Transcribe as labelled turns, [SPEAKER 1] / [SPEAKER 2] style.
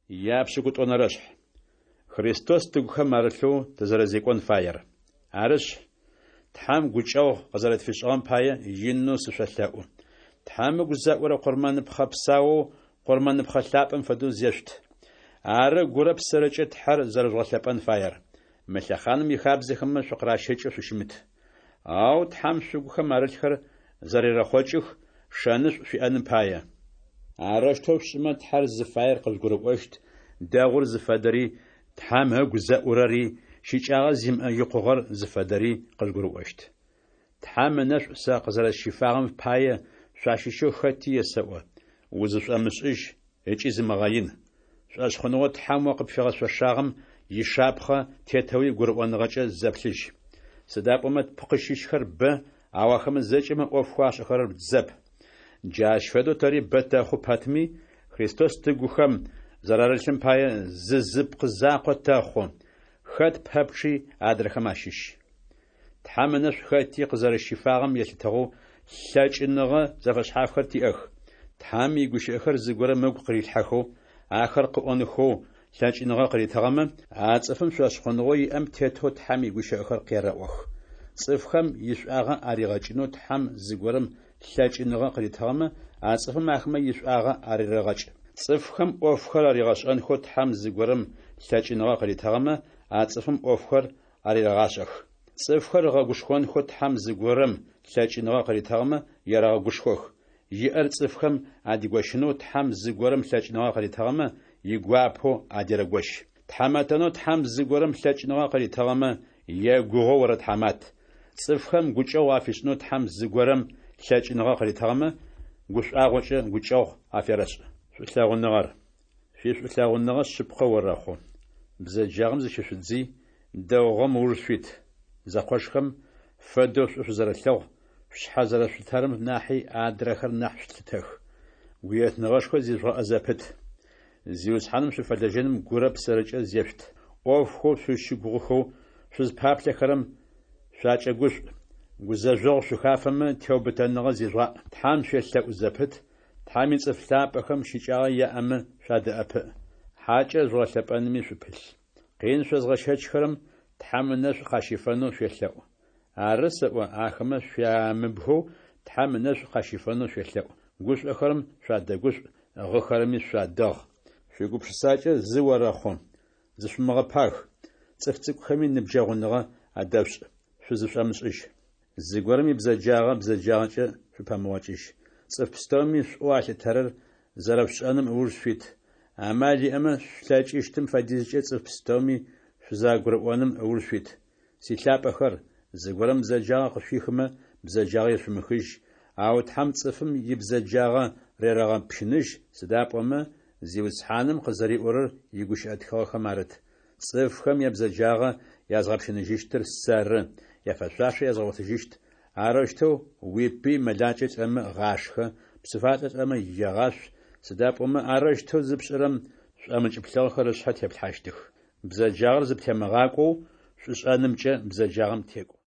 [SPEAKER 1] Япшӏыкӏутӏонэрэшъхь. Христос тыгухэм арылъэу тызэрэзекӏон фаер. Арышъ, Тхьэм гукӏэгъу къызэрэтфишӏыгъэм пае, инэу сышъолъэӏу: Тхьэм ыгу зэӏурэ къурмэныпхъэ псаоу къурмэныпхъэ лъапӏэм фэдэу зешъут. Ары гурэ псэрэкӏэ Тхьэр зэрэжъугъэлъэпӏэн фаер. Мы лъэхъаным ихабзэхэмэ шъукъыращэкӏэу шъущымыт. Ау Тхьэм шъугухэм арылъхэр зэрерэхъокӏых, шэнышӏу шъуиӏэным пае. Арэущтэу шъушӏымэ, Тхьэр зыфаер къыжъугурыӏощт, дэгъур зыфэдэри, Тхьэм ыгу зэӏурэри, щыкӏагъэ зимыӏэ икъугъэр зыфэдэри къыжъугурыӏощт. Тхьэм ынэшӏу сэ къызэрэсщифагъэм пае, шъуащыщэу хэти есэӏо: узышӏомышӏыжь ыкӏи зымыгъэин. Шӏошъхъуныгъэу Тхьэм о къыпфигъэшъошагъэм ишапхъэ тетэуи гурыӏоныгъэкӏэ зэплъыжь. Сыда пӏомэ тпкъы щыщхэр бэ, ау ахэмэ зэкӏэмэ ӏофхэу ашӏэхэрэр зэп. Джащ фэдэу тэри бэ тэхъу пэтми, Христос тыгухэм зэрарылъым пае, зы зы пкъы закъо тэхъу, хэт пэпчъи адрэхэм ащыщ. Тхьэм ынэшӏу хэти къызэрэщифагъэм елъытыгъэу лъэкӏыныгъэ зэфэшъхьафхэр тиӏэх. Тхьэм игущыӏэхэр зыгорэм ыгу къырилъхьэхэу, ахэр къыӏонхэу лъэкӏыныгъэ къыритыгъэмэ, а цӏыфым шӏошъхъуныгъэу иӏэм тетэу Тхьэм игущыӏэхэр къерэӏох. Цӏыфхэм ишӏуагъэ аригъэкӏынэу Тхьэм зыгорэм лъэкӏыныгъэ къыритыгъэмэ, а цӏыфым ахэмэ ишӏуагъэ арерэгъэкӏ. Цӏыфхэм ӏофхэр аригъэшӏэнхэу Тхьэм зыгорэм лъэкӏыныгъэ къыритыгъэмэ, а цӏыфым ӏофхэр арерэгъашӏэх. Цӏыфхэр ыгъэгушхонхэу Тхьэм зыгорэм лъэкӏыныгъэ къыритыгъэмэ, ерэгъэгушхох. Иӏэр цӏыфхэм адигощынэу Тхьэм зыгорэм лъэкӏыныгъэ къыритыгъэмэ, игуапэу адерэгощ. Тхьамэтэнэу Тхьэм зыгорэм лъэкӏыныгъэ къыритыгъэмэ, егугъоу орэтхьамат. Цӏыфхэм гукӏэгъу афишӏынэу Тхьэм зыгорэм лъэкӏыныгъэ къыритыгъэмэ, гушӏуагъокӏэ гукӏэгъу аферэшӏ. Шӏулъэгъуныгъэр. Шъуишӏулъэгъуныгъэ шъыпкъэ орэхъу. Бзэджагъэм зыщышъудзый, дэгъугъэм ыуж шъуит. Зэкъошхэм фэдэу шӏу шъузэрэлъэгъу, шъушъхьэ зэрэшъулъытэрэм нахьи адрэхэр нахь шъулъытэх. Гуетныгъэшхо зижъугъэӏэ зэпыт. Зиусхьаным шъуфэлэжьэным гурэ псэрэкӏэ зешъут. ӏофхэу шъузщыгугъыхэу шъузпаплъэхэрэм шъуакӏэгушӏу. Гузэжъогъу шъухафэмэ, теубытэныгъэ зижъугъаӏ. Тхьэм шъуелъэӏу зэпыт, Тхьэм ицӏыф лъапӏэхэм щыкӏагъэ яӏэмэ шъуадэӏэпыӏ. Хьакӏэр жъугъэлъэпӏэнми шъупылъ. Къин шъозгъэщэчхэрэм Тхьэм ынэшӏу къащифэнэу шъуелъэӏу. Ары сэӏо, ахэмэ шъуямыбгэу Тхьэм ынэшӏу къащифэнэу шъуелъэӏу. Гушӏохэрэм шъуадэгушӏу, гъыхэрэми шъуадэгъ. Шъуигупшысакӏэ зы орэхъу. Зышъумыгъэпаг, цӏыф цӏыкӏухэми ныбджэгъуныгъэ адэшъушӏ, шъузышӏомышӏыжь. Зыгорэм ибзэджагъэ бзэджагъэкӏэ шъупэмыгъокӏыжь. Цӏыф пстэуми шӏоу алъытэрэр зэрэшъушӏэным ыуж шъуит. Амал иӏэмэ, шъулъэкӏыщтым фэдизкӏэ цӏыф пстэуми шъузэгурыӏоным ыуж шъуит. Силъапӏэхэр, зыгорэм бзэджагъэ къышъуихымэ, бзэджагъэ ешъумыхыжь, ау Тхьэм цӏыфым ибзэджагъэ рерэгъэпщыныжь, сыда пӏомэ Зиусхьаным къызэриӏорэр игущыӏэ тхыгъэхэм арыт: Цӏыфхэм ябзэджагъэ язгъэпщыныжьыщтыр сэры, яфэшъуашэ язгъэгъотыжьыщт. Арэущтэу уипый мэлакӏэ лӏэмэ гъашхэ, псыфалӏэ лӏэмэ егъашъу, сыда пӏомэ арэущтэу зыпшӏэрэм шӏомыкӏ плъыгъэхэр ышъхьэ теплъхьащтых. Бзэджагъэр зыптемыгъакӏоу, шӏушӏэнымкӏэ бзэджагъэм текӏу.